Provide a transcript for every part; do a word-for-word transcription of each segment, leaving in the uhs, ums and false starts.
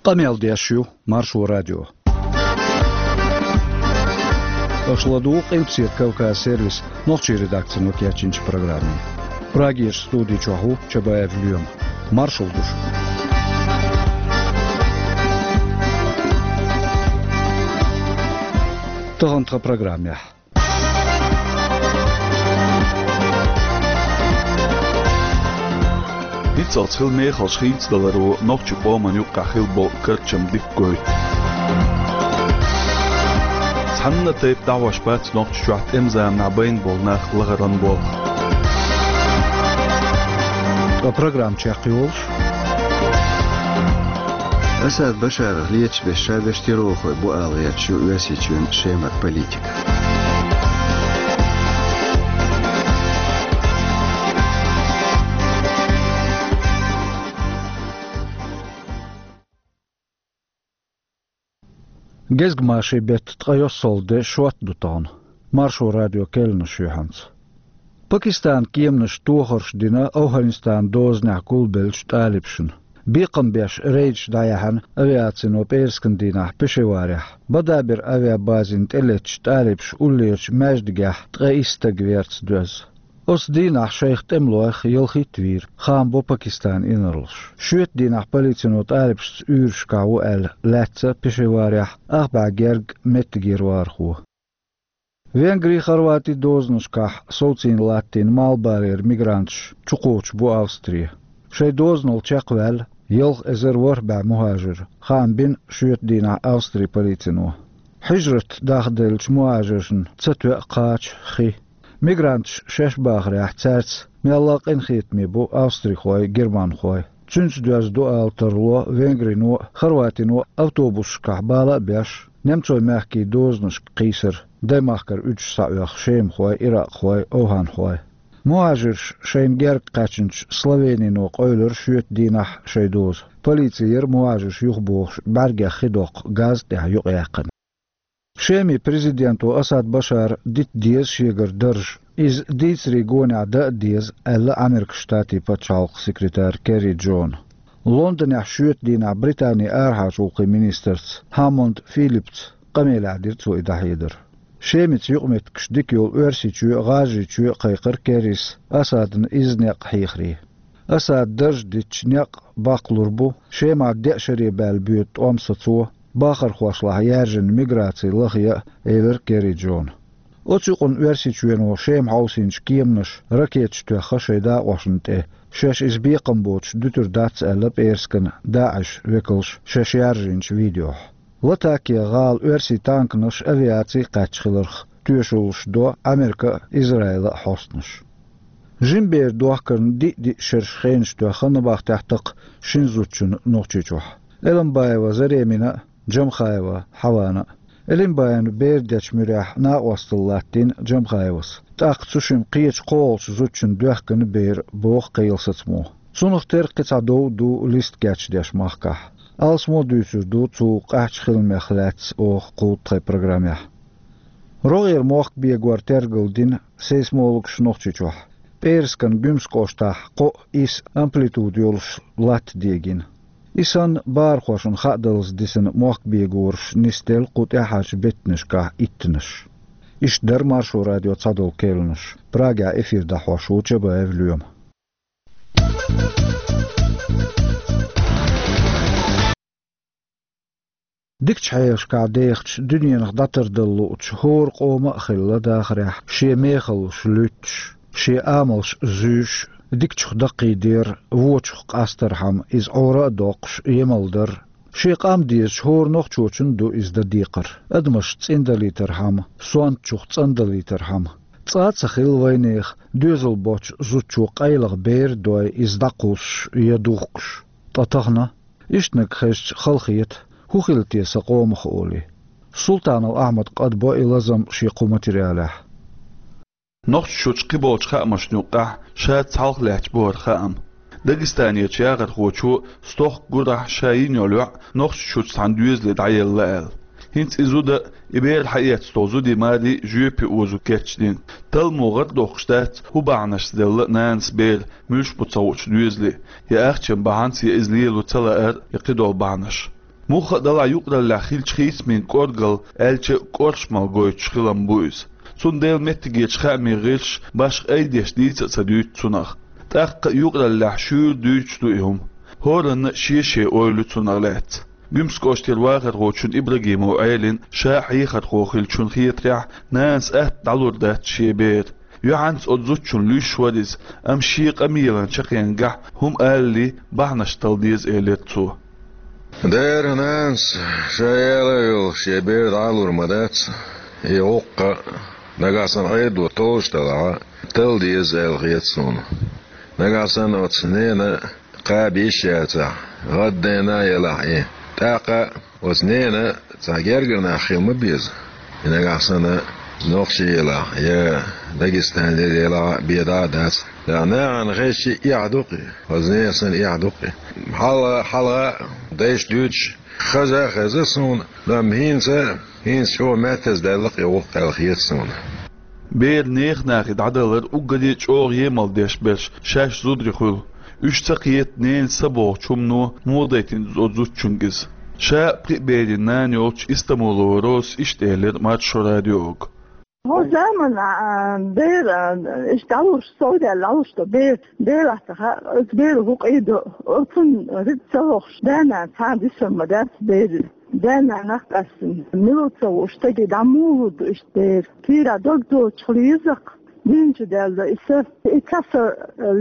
Къамел деш ю Маршо радио. Аша ладугӀу Къилбаседа Кавказ сервисан нохчийн редакцино кечйинчу программе. Прагерчу студи чохь ву Чабаев Лоьма. Маршалла ду шуьга. Тахана тхан программехь. Ницкъалц хилла мехаллаш хийцадаларо нохчийн къоман юккъехь хилла болу карчам дика гойту. Цхьанна а тайпа дӀахьош бац Нохчийчохь тӀеман заманахь байна болу нах лахаран болх. Ткъа программа чекхйолуш. Асад Башарах леташ берш ша берш террорхой бу ала гӀерташ ю Оьрсийчоьнан Шемара политика. Гезгмашин беттан ткъе йоьссалгӀа де, шот ду тахана. Маршо радион керланаш ю хьаьнца. Пакистанан кеманаша тохарш дина Афганистанан дозанехь гулбеллачу тӀалибашна. Бекхам беш рейдаш дӀаяьхьна авиацино пӀераскан дийнахь Пешаварехь. Бадабер авиабазина тӀелеттачу тӀалибаша уллерачу маьждигехь ткъе исс стаг верца доьзна. Оцу дийнахь шайх тӀемалойх ялхитта вийра, хаам бо Пакистанан инарлаша. Шоьтан дийнахь полицино тӀалибашца уьйрашкахь ву аьлла лаьцна Пешаварехь, ах бӀе гергга меттигера вахархо. Венгрин, Хорватин дозанашкахь совцийна латтийна малхбалера мигранташ чукхочуш бу Австри. Шайн дозанал чекхваьлла ялх эзар ворхӀ бӀе мухӀажир, хаам бина шоьтан дийнахь Австрин полицино. Хьижрат дахделлачу мухӀажиршна ца тоьа кхача хи. Мигранташ шаьш бахарехь, цаьрца мелла а къинхетаме бу австрихой, германхой. Цуьнца доьзна ду ала тарло Венгрино а, Хорватино а автобусашкахь бала а беш, немцойн мехкийн дозанашка кхийсар, даймахкара уьдуш схьаоьху шемахой, иракъхой, овхӀанхой. МухӀажирш шайна герга кхаьчначу Словенино къевлира шоьтан дийнахь шайн доза. Полици яра мухӀажирш юхабохуш бӀаьргех хи доккху газа тӀехь юкъаяьккхина. Шеман президенто Асад Башара дита деза шегара дарж, иза дийцарийн гонехь дан а деза, аьлла Америкин Штатийн пачхьалкхан секретара Керри Джона. Лондонехь шоьтан дийнахь Британин арахьарчу гӀуллакхийн министрца Хаммонд Филиппца къамелехь дира цо и дӀахьедар. Шемица юкъаметтигаш дика йолу Оьрсийчоь а, ГӀажарийчоь а кхайкхира Керрис Асадна изза некъ хьехаре. Асада дарж дитча, некъ баккхалур бу Шемахь деа шаре баьлла боьду тӀом сацо, бахархошлахь яьржина миграци лахъян а, элира Керри Джона. Оцу юкъана Оьрсийчоьно Шема хьовсийначу кеманаша ракеташ тоьхна шайн дакъошна тӀе, шаьш иза бекхам боцуш дуьтур дац аьлла пӀераскан ДАИШ векалша шаьш яржийначу видеохь. Латакия гӀала оьрсийн танканаш, авиаци кхаьчна хиларх тоьшаллаш до Америка а, Израила а хьостанаш. Жима бер дохкарна диъ-диъ шераш хенаш тоьхна набахтехь такха шина зудчунна Нохчийчохь. Элимбаева Заремина а, Джамхаева Хьавана а. Элимбаевна бер дечу муьрехь накъосталла латтийна Джамхаевас. ТӀаккха цу шимма кхечу кхоалгӀачу зудчунна доьхкина бер, боху кхин йолу сацамо. Цунах тера кхин цхьа дов а ду листа кечдеш махкахь. Алсамо дуьйцур ду цу къаьхьачу хиламех лаьцна оха кху тхайн программехь. РогӀера мохк бегор тергал дина сейсмологаша Нохчийчохь. ПӀераскан Гуьмсан кӀоштахь кхоъ-исс амплитуда йолуш латта дегина. И санна, бахархошна хаадаллалц дисина мохк бегораш нисделла кху тӀаьхьарчу беттанашкахь иттанаш. Иштта дара Маршо радион цхьадолу керланаш. Прагехь эфир дӀахьош ву Чабаев Лоьма. Дикачу хьелашкахь дехачу, дуьненах дӀатардала луучу хӀора къома а хилла дахарехь, шен мехаллаш луьттуш, шен амалш зуьйш, дикачух даккхийдер, вочух къастархьама, иза Ӏора а доккхуш, емал дар. Шен къам дезачу хӀора нохчочун ду иза дан декхар. Адамаш цӀиндалийтархьама, сонтачух цӀандалийтархьама. Цкъа а ца хилла вайнехан доьзал боцчу зудчо къайлаха бер а дой, иза дӀакхуссуш я духкуш. Ткъа тахана? Ишттаниг хезча, халахета, хӀун хилла те сан къомах олий. Султанов Ахьмада кхаъ бо и лазам шен кху материалехь. Нохчийчохь кхиболчу хаамашна юккъехь ша цхьалха лаьтташ бу хӀара хаам. Дагестанерчу яхархочо стохка гурахь ша йина йолу йоӀ Нохчийчохь цхьана доьзале дӀаелла аьлла. ХӀинца и зуда а, и бер хьаэцна стол зудий марий жоьпе озо кечдина. Талламо гӀар доккхуш дац, хӀун бахьанашца делла нанас бер, муьлш бу ца хуучу доьзале, я ахчан бахьанца, я иза лело ца лаар, я кхидолу бахьанаш. Муха а далахь юкъараллехь хиллачу хийцамийн кӀоргал, аьлча, кӀоршамал гойтуш хилам бу иза. Цундела меттигерчу хаамийн гӀирсаша башха айдеш дийца а ца дуьйцу цунах. ТӀаккха а юкъараллехь шуьйра дуьйцуш ду и хӀума. ХӀоранна шен-шен ойла ю цунах лаьцна. Гуьмсан кӀоштара вахархочун Ибрагимов Ӏелин ша хьехархо хиллачун хетарехь, нанас атта дӀалур дац шен бер. Юьхьанца оцу зудчун луьйш вара иза, амма шен къамелан чаккхенгахь хӀума алале, бахьанаш тала деза, элира цо. Дера, нанас ша яла а йолуш, шен бер дӀа а лур ма дац, и гӀуллакх а, нагахь санна Ӏедало толлуш делахь а, тала деза аьлла хета суна. Нагахь санна оцу ненан кхаба йиш яцахь, гӀаддайна а елахь и, тӀаккха оцу ненан цхьа гергара нах хила ма беза. И нагахь санна нохчий елахь, я Дагестанера елахь а, бен дӀа а дац. ТӀаккха нахана хезчи эхь ду-кх и, оцу ненан санна эхь ду-кх и. Хьалха, хьалха дайша дуьйцуш хеза а хеза суна, амма хӀинца, хӀинца чӀогӀа меттаза даьлла-кх и гӀуллакх аьлла хета суна. Беран нехан нахе дӀадалар уггаре а чӀогӀа емал деш берш шаьш зударий хуьлу. Уьш ца кхета ненан са бохучу хӀумано муха дайтина оцу зудчуьнга иза. Ша а пхи а берийн нана йолчу Истамулова Розас иштта элира Маршо радиога. ХӀокху заманахь, а, бер, а, иштта дӀалуш, совдаьлла дӀалуш ду бер, бер латтахь, оцу беро хӀун къийдо, оцунна рицкъ ца вахуш, да-нана цхьа а дисар ма дац беран. Да-нанах а къаьстина, мила ву ца ву стаге дӀа муха лур ду иштта бер? Кийра дог доцуш хила еза-кх, дийна чу даьлла и са. И ца са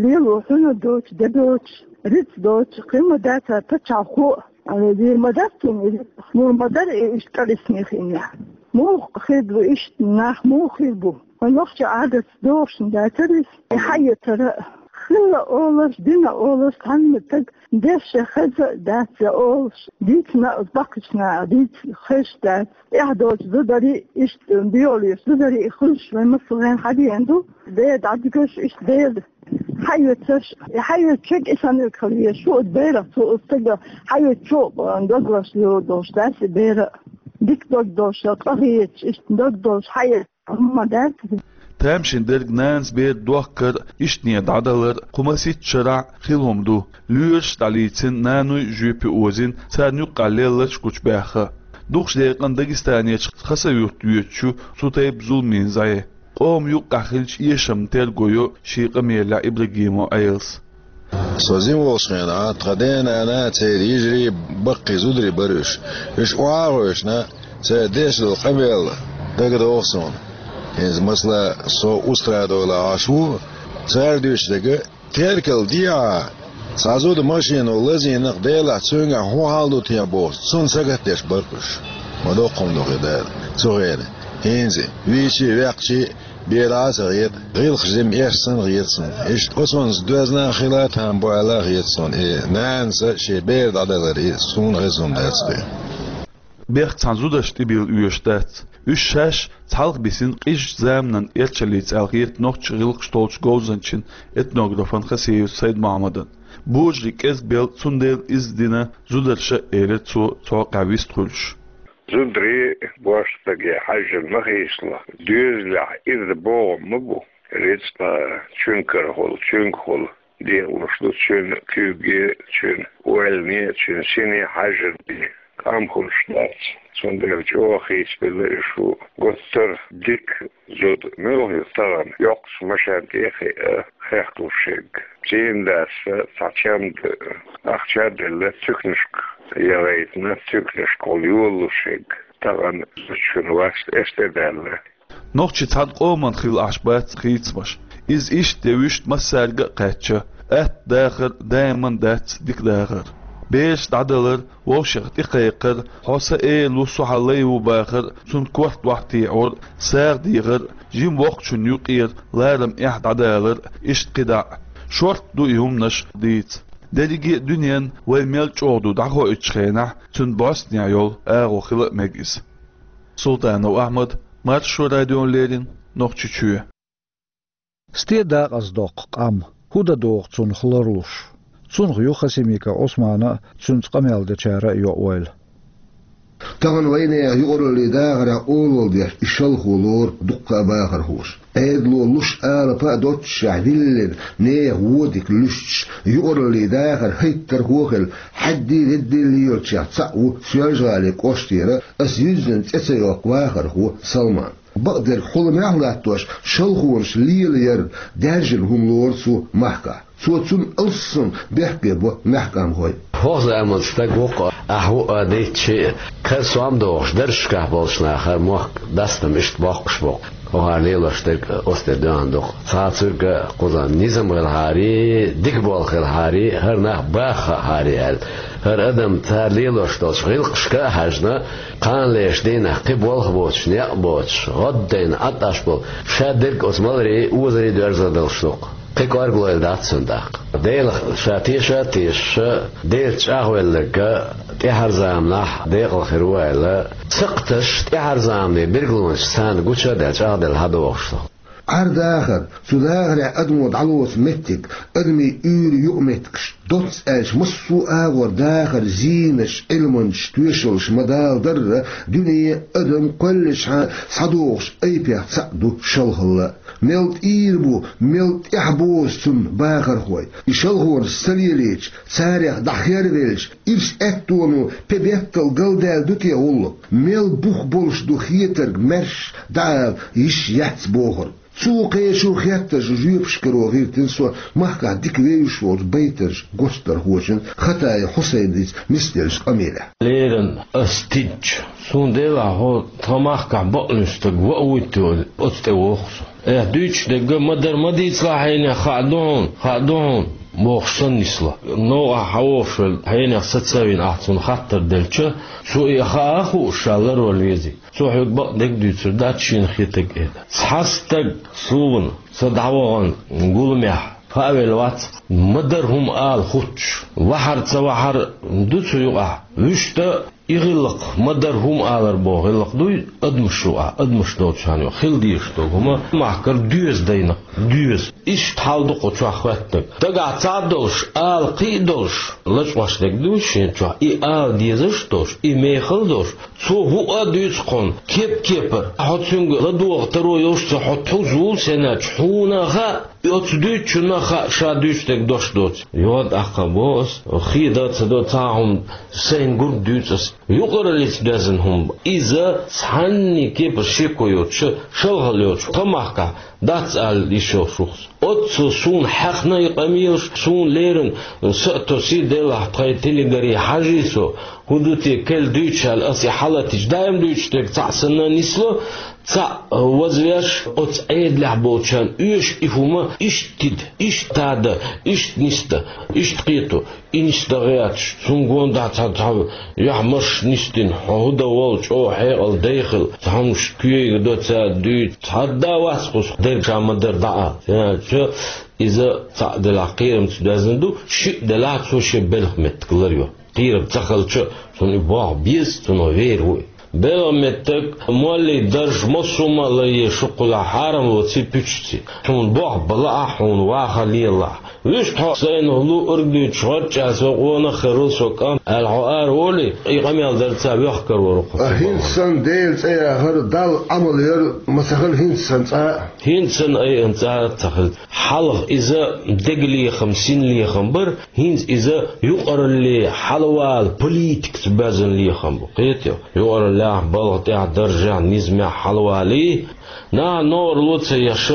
лело хьуна доцуш, де доцуш, рицкъ доцуш, кхин ма дац цара пачхьалкхо а, дийр ма дац цунна и рицкъ, мур ма дара и иштта кӀорггера хиънехь. Муха хир ду иштта, нах муха хир бу? Вайн нохчийн Ӏадатца догӀуш дацара иза. И хьаэцар а хилла олуш, дина олуш, цхьанна стаг дешшехь хеза а дац я олуш, дийцина а баккхийчу наха дийца хезаш дац. Эхь доцу зударий, иштта доьаллаш зударий хуьлуш вайн массарна хьадеана ду. Бер дӀадигаш, иштта бер хьаоьцуш, и хьаоьцучуьнга и санна хила еза. Шу оцу берах, цо оцу стага хьаоьцучо дог лазалур долуш дац и бер а. Дика дог долуш, къа хеташ, иштта дог долуш хьаэца хӀума ма дац. Тамашийна дерг нанас бер дохкар а, ишттане дӀадалар а кху масийтта шарахь хилла хӀума ду. Лоьраш а дӀалийцина, наной а жоьпе озийна, царна юккъехь лелларш гучубаьхна. Дукхачу декъана Дагестанерчу Хасавюрт йоьдуш ю цу тайпа зуламийн зӀе. Къоман юккъехь хиллачу эшамна терго йо шен къамелехь Ибрагимов Ӏелас. Со жима волчу хенахь тхан ден-нана а, церан йижарий а, баккхий зударий бара уьш. Уьш охьа а гӀевшина, цара деш долу къамел дагадогӀу суна. ХӀинца, масала, со Устрадовлахь Ӏаш ву, цара дуьйцу дерг, Теркал дехьа, цхьа зуда машино лазийна-кх, делахь цуьнгахь хӀун хьал ду те бохуш, цунна сагатдеш бара-кх уьш. Ма доккха хӀума ду хир дара цу хенахь. ХӀинца, вийчий а, ваьккхичий а, бен дӀа а ца хета, гӀиллакхаш жима эшна санна хета суна. Иштта оцунца доьзна а хила там бу аьлла а хета суна. И нанас шен бер дӀадалар, и суна хезна хӀума дац-кх и. Бехк цхьана зударшна тӀебилла оьшуш дац. Уьш шаьш цхьалха бисина къизачу заманан эрчаллица аьлла хета нохчийн гӀиллакхаш толлучу говзанчан, этнографан Хасиев Сайд-Мохьмадан. Божарий кӀезгбелла, цундела иза дина зударша а, элира цо, цхьа кхаъ вистхуьлуш. Зударий божарий стаге хьаьжжина ма хийцало, доьзалехь иза богӀам ма бу. Рицкъа чуьнгахула, чуьнгахула, декъалуш ду цуьнан куьйге, цуьнан ойлане, цуьнан сине хьаьжжина бен. КӀам хуьлуш дац, цундела чӀогӀа хийцабелла и шу. Гуттар а дика зуда муьлха ю тахана, йоккхачу машен тӀе а хиъна, хехкалуш ерг. ЦӀийнан дас цхьа чамда ахча а делла, туьканашка яхийтина, туьканашкахула йолалуш ерг. Тахана зудчун васт эс тӀе даьлла. Нохчий цхьана къоман хилла Ӏаш бац хийцамаш. Иза иштта я вуьшта массаьрга а кхаьчча, атта дахар даиман дац дика дахар. Бераш дӀадалар, вовшех тӀекхайкхар, хьо сан эла ву, со хьан лай ву бахар, цунна корта охьатеӀор, сагӀа дехар, жима воккхачун юкъера ларам, эхь дӀадалар, иштта кхидӀа а. Шортта ду и хӀуманаш дийца. Дерриге а дуьненна вай мел чӀогӀа ду дӀахоуьйтучу хенахь, цуьнан бӀостанехь йолу агӀо хила а мега иза. Султанов Ахьмад, Маршо радиона леррина, Нохчийчоь. Стен дакъаза доккху къам, хӀун дан догӀу цунах ларлуш? Цунах ю Хасимиков Ӏусмана а, цуьнца къамел дечара а йо ойла. Тахана вайнаьха юкъараллин дахарехь олалла деш и шалхо лору дуккха а бахархоша. Ӏедало луш алапа а доццушехь диллина, нехан вон дика луьстуш, юкъараллин дахар хӀайттархо а хилла, хьаьддий-реддий лелочех цхьаъ ву Соьлжа-ГӀалин кӀоштара, аса юьззина цӀе ца йоккху вахархо Салман. Бакъдерг хьуламехь а латтош, шалхонаш лелаяр даьржина хӀума лору цо махкахь. Цо цунна алссам бехке бо мехкан хӀой. ХӀокху заманан стаг ву-кх ахь, ву а дийцча, кара сом дохуш, даржашкахь болчу нахара мохк дастам иштта боккхуш бу-кх. ХӀокхара лелош дерг оцу тӀе доьгӀна ду-кх. Цхьа цуьрга кхуза низам хилахьарий, дика болх хилахьарий, хӀара нах баха хаахьарий аьлла. ХӀара адам цара лелош долчу гӀиллакхашка а хьаьжна, кхана лерчу дийнахь кхин болх боцуш, некъ боцуш, гӀоддайна Ӏад Ӏаш болу, ша дерг оцу маларийн, озарийн доьрза далуш ду-кх. Кхин кӀоргалойла дац цуьнан тӀаккха. Делах ша теша а тешаш, Делаца чӀагӀвелларг тӀаьхьара заманахь декъала хир ву аьлла, сакхташ тӀаьхьара заманан билгалонаш царна гуча а даьлла, чӀагӀделла хьадогӀуш ду. Ӏар-дахар, цу дахарехь адамо дӀалоцу меттиг, адамийн уьйр, юкъаметтигаш, доцца аьлча, массо а агӀор дахар, зийнаш, Ӏилманчаш, тоьшаллаш ма-далла дарра, дуьне, адам кхоьллинчхьана схьадогӀучу айпех цхьаъ ду шалхалла. Мел тӀийр бу, мел тӀаьхьабозу цунна бахархой. И шалхонаш ца лелийча, царех дӀахервелча, ирс аьттоно пе беттал галдаьлла ду те гӀуллакх? Мел бух болуш ду хетарг маьрша дӀаала йиш яц бохург? Цо кхечу хеттарш жоьпаш каро гӀиртина со махкахь дика вевзаш волчу байтарш гочдархочун Хатаев Хьусайница нисделлачу къамелехь. Леррина ас тидча, суна делахь хьо тхан махкахь бакъ луьйш стаг ваа вуй те аьлла, оцу тӀе воху со. Эхь, дуьйцуш дерг ма-дарра ма дийцалахь, хьенех хаа ду хьуна, хаа ду хьуна, бохуш санна нисло. Новкъахь хьан вохуш велла, хьенех саца а вина ахь цунна хаттар делча, цо и хаа а хууш ша ларвала везий. Цо хьоьга бакъдерг дуьйцур дац шена хетарг, эда. Цхьа стаг суна, со дӀавахана гуламехь, хаа велла вац, ма-дарра хӀума ала хӀуттуш, вахьар ца вахьар ду цу юкъахь. Вуьшта и гӀиллакх, ма-дарра хӀума алар боху гӀиллакх дуй, адамаш юкъахь, адамаш долчарна юкъахь хила дезаш долу хӀума махкара доьза дайна, доьза. Иштта хьал ду кху чохь хӀоьттинарг. Дагахь цхьа а долуш, ала кхин а долуш, лачкъош дерг ду шен чохь, и ала дезаш а долуш, и мехала а долуш, цо хӀуъа а дуьйцу кхунна, кеп-кепара. Хьо цуьнга ладогӀа таро йолуш ца, хьо тхуза ву сенначу, хьуна а хаьа, и оцу дуьйцучунна а хаьа, ша дуьйцу дерг дош доцу. Йо, тӀаккха бо ас, хеда а ца до, цхьа хӀума сайна гург дуьйцу ас. Юкъараллица доьзна хӀума бу. Иза цхьанний кепара шеко йоцуш, шалхалла йоцуш, тхан махкахь дац ала йиш йолуш ву-кх со. Оццул суна хьаьхна и къамелаш, суна леррина са а тосий, делахь тхайн телегаре хьажий со, хӀун ду те, кхел дуьйцуш аьлла, ас и хьалатийча, даим дуьйцуш дерг цхьаъ санна нисло, цхьаъ вазвеш, оцу Ӏедалехь болчарна оьшу и хӀума иштта тида, иштта тада, иштта нисда, иштта кхето. И нисдан гӀерташ, цунна гонахь цхьа, цхьа юьхь-марш нисдина, хьо хӀун дан волу, чӀогӀа хьекъал дай хила, цхьа хӀумнаш куьйга до цара дуьйцу, цхьа а вац кхуза дерг ша ма-дарра дӀа а. ХӀунда аьлча иза цхьаъ делахь кхерамца доьзна ду, шиъ делахь цо шен белхан меттиг ларйо. Кхерам ца хилча, цунна и боху беза, цунах вер ву и. Белхан меттиг, моллин дарж, массо а ма а ларъе, шуккхула хьарам лоций, пуьчций. Хьуна боху бала а, хьуна ваха лела а. Вуьшта хьо сайна луург дуьйцуш, гӀорчӀа со къонах хир ву со кӀант, аьлла хьо ара волий, и къамел дарца воьхкар вара кху. А хӀинца санна Делан цӀе яхар, Далла Ӏамал яр ма ца хила хӀинца санна цкъа а. ХӀинца санна айхьа цкъа а ца хила. Хьалха иза дегалехам, синлехам бара, хӀинца иза юкъаралле хьалавала политикаца боьзна лехам бу. Кхетий, юкъараллехь, балха тӀехь, даржехь, низамехь хьалавалий, наха новар ло ца еш,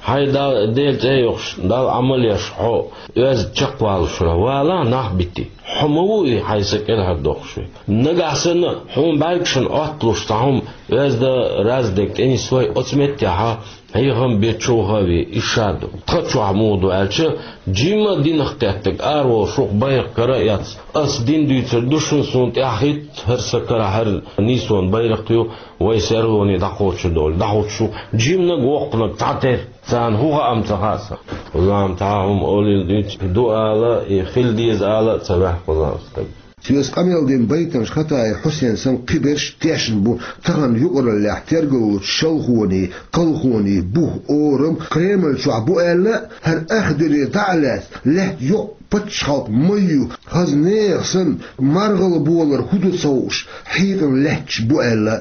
хьайн Дала, Делан цӀе йохуш, Далла Ӏамал еш хьо оьзда чекхвалуш вара, валахь нах битий. Хьо ма ву и, хьайн са кӀелхьардоккхуш ву. Нагахь санна хьуна бӀаьргашна Ӏотталуш цхьа хӀума оьзда, раза дерг тӀенислой, оцу меттехь хьехам бен човха а вен, и ша ду. Тхан чохь муха ду аьлча, жимма а динах кхеттиг, араволуш ву-кх, байракх кара а эцна. Ас дин дуьйцур ду шуна, суна тӀаьхьахӀитта хӀара сан кара, хӀара нийсонан байракх ю, вай серлоне дӀакхочур долу, дӀахӀуттуш ву-кх. Жимнаг, воккханаг цхьатерра, царна хӀун хаам ца хаьа сан. Лам цхьа а хӀума олийла дуьйцу, ду ала, и хила деза ала а ца ваьхьа кхузахь стаг. Соьца къамел дина байтанаш Хатаев Хьусен санна кхиберш тешна бу, тахан юкъараллехь тергаллучу шалхонийн, кхалхонийн бух, орам Кремль чохь бу аьлла, хӀара ах дерриг дӀа а лаьцна, лаьтта йоккха пачхьалкх ма ю, хаза нехан санна, маргӀал болар хӀун ду ца хууш, хьийкъина лаьтташ бу аьлла.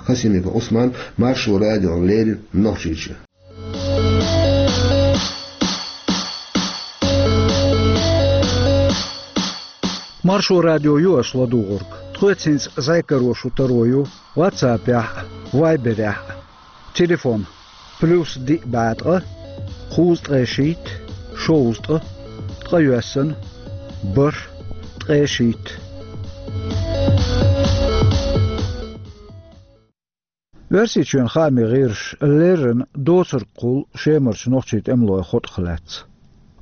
Хасимиков Ӏусман, Маршо радиона леррина, Нохчийчоь. Маршо радио ю аша ладугӀург. Тхоьца хӀинца зӀе каро шу таро ю WhatsApp-ехь а, Viber-ехь а. Телефон: плюс диъ бӀе ткъа, кхузткъе шийтта, шовзткъа, ткъе йоьссана, бархӀ, ткъе шийтта. Оьрсийчоьнан хаамийн гӀирсаша леррина доцург кхуллу Шемарчу нохчийн тӀемалойн хьокъах лаьцна.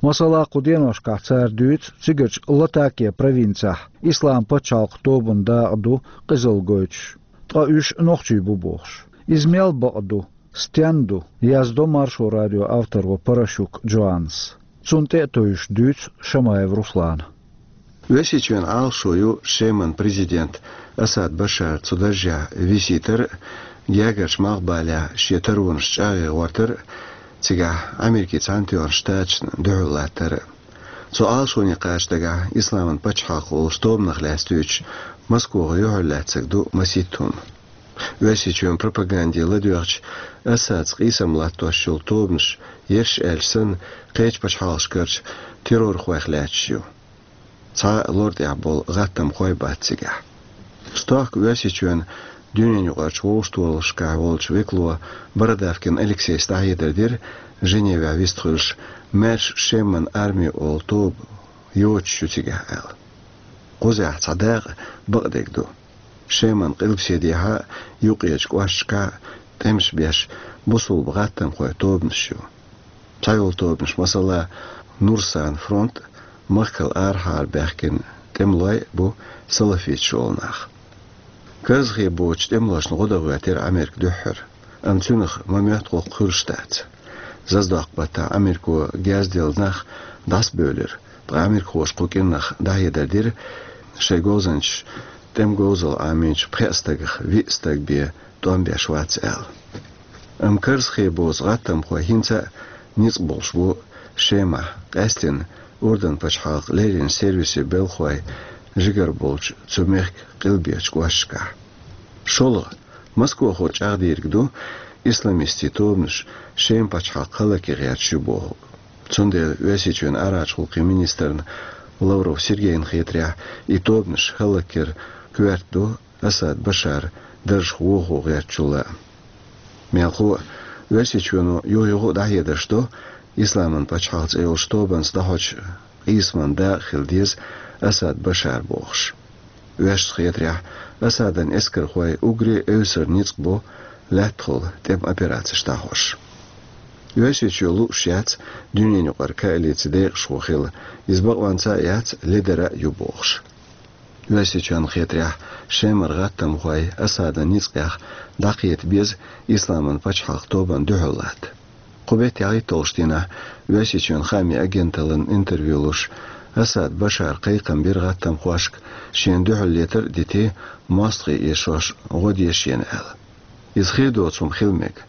Масала, кху деношкахь цара дуьйцу цигарчу Латакия провинцехь Исламан пачхьалкхан тобанан дакъа ду къизалла гойтуш, ткъа уьш нохчий бу бохуш. Иза мел бакъ ду, стенна ду, яздо Маршо радион авторо Паращук Джоаннас. Цунна тӀе а тевжаш дуьйцу Шамаев Руслана. Оьрсийчоьнан Ӏалашо ю Шеман президент Асад Башар цу даржехь висийтар а, гергарчу малхбалехь шен таронаш чӀагӀе гӀортар а, цигахь Америкин Цхьаьнатоьхначу Штаташна дуьхьал латтар а. Цу Ӏалашоне кхача дагахь Исламан пачхьалкх олучу тобанах лаьцна дуьйцуш, Москвахо юьхьарлаьцнарг ду масийтта хӀума. Оьрсийчоьнан пропаганде ладоьгӀча, Асадца къийсам латтош йолу тобанаш, ерш аьлча санна, кхечу пачхьалкхашкарчу террорхойх лаьтташ ю. Цхьа а лор тӀехь болу гӀаттамхой бац цигахь. Стохка Оьрсийчоьнан дуьненаюкъарчу вовшахтохараллашкахь волчу векало Бородавкин Алексейс дӀахьедар дира, Женевехь вистхуьлуш, маьрша Шеман арми олу тоба йоцуш ю цигахь аьлла. Кхузахь цхьа дакъа бакъдерг ду. Шеман къилбаседехьа а, юккъерчу кӀошташкахь а тӀемаш беш бусулба гӀаттамхойн тобанаш ю. Цхьайолу тобанаш, масала, Нурсан фронт а, махкал арахьара баьхкина тӀемалой а бу салафиташ олу нах. Карзахе боцучу тӀемалошна гӀо дан гӀоьртира Ӏамерка дуьххьара, амма цуьнах ма моьтту гӀуллакх хуьлуш дац. Заздоккху баттахь Ӏамерко герз делла нах дӀасабевлира, ткъа ӏамирхоша кху кӀирнах дӀахьедар дира, шайн говзанчаша тӀеман говзалла Ӏамийначу пхеа стагах виъ стаг бен тӀом беш вац аьлла. Амма карзахе боцу гӀаттамхой хӀинца а ницкъ болуш бу Шемахь, къаьсттина Урдан пачхьалкхан леррина сервисийн белхахой жигара болчу цу мехкан къилбечу кӀошташкахь. ШолгӀа, Москвахо чӀагӀдийриг ду, исламистийн тобанаш Шеман пачхьалкх хӀаллакьхилар гӀерташ ю бохург. Цундела Оьрсийчоьнан арахьарчу гӀуллакхийн министрна Лавров Сергейна хетарехь, и тобанаш хӀаллакьхилар коьрта ду Асад Башар даржах вохо гӀертачул а. Мелхо а, Оьрсийчоьно юха-юха а дӀахьедарш до, Исламан пачхьалкх цӀе йолчу тобанца дӀахьочу къийсаман дакъа хила деза Асад Башар бохуш. Оьрсашна хетарехь, Асадан эскархой уггаре а эвсара ницкъ бо лаьттахула тӀеман операцеш дӀахьош. Оьрсийчоь лууш яц дуьненаюкъара коалицин декъашхо хила, иза бакъонца а яц, ледара а ю бохуш. Оьрсийчоьнна хетарехь, Шемара гӀаттамхой Асадан ницкъех дӀакхета беза Исламан пачхьалкх тобанна дуьхьал латта. Кху беттан ялхитталгӀачу дийнахь Оьрсийчоьнан хаамийн агенталлина интервью луш, Асад Башара кхайкхам бира гӀаттамхошка, шена дуьхьал летар а дитий, мостагӀий эшош гӀо де шена аьлла. Иза хир доцу хӀума хила мега,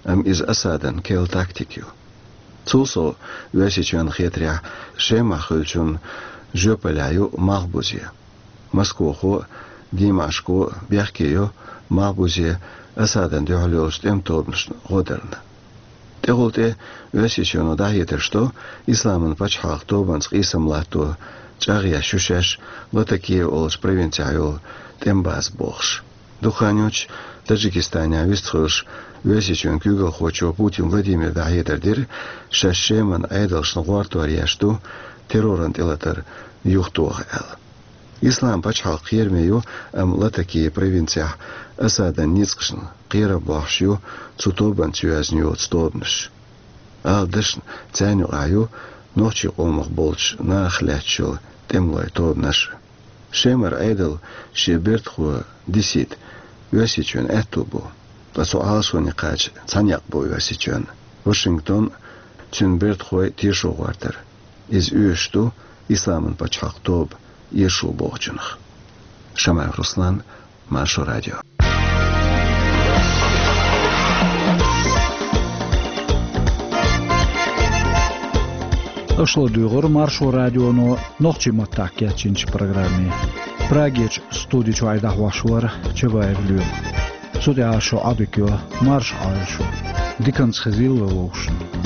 амма иза Асадан керла тактика ю. Цул сов, Оьрсийчоьнна хетарехь, Шемахь хуьлучунна жоьпаллехь ю малхбузе. Москвахо а, Димашко а бехке йо малхбузе Асадан дуьхьал йолчу тӀеман тобанашна гӀо дарна. ТӀехула тӀе Оьрсийчоьно дӀахьедарш до, Исламан пачхьалкх тобанца къийсам латто чӀагӀъеш ю шаьш Латакия олучу провинцехь йолу тӀеман база бохуш. Дукха хан йоццуш Таджикистанехь вистхуьлуш, Оьрсийчоьнан куьйгалхочо Путин Владимира дӀахьедар дира, шаьш Шеман Ӏедалшна гӀортор еш ду терроран тӀелатар юхатоха аьлла. Исламан пачхьалкх кхераме ю, амма Латакия провинцехь Асадан ницкъашна кхерам бохьуш ю цу тобанца йоьзна йоцу тобанаш. Ала дашна, царна юкъахь ю нохчийн къомах болчу нахах лаьтташ йолу тӀемалойн тобанаш а. Шемара Ӏедал шен бертахо дисийта Оьрсийчоьнан аьтто бу, ткъа цу Ӏалашоне кхача цхьа некъ бу Оьрсийчоьнан: Вашингтон а, цуьнан бертахой а тешо гӀортар. Иза оьшуш ду Исламан пачхьалкх тоба иршо бохучунах. Шамаев Руслан, Маршо радио. Аша ладугӀура Маршо радионо нохчийн маттахь кечйинчу программе. Прагерчу студи чохь дӀахьош вара Чабаев Лоьма. Цу тӀехь шун Ӏодика йо, марша Ӏойла шу. Диканца хезийла вай вовшашна.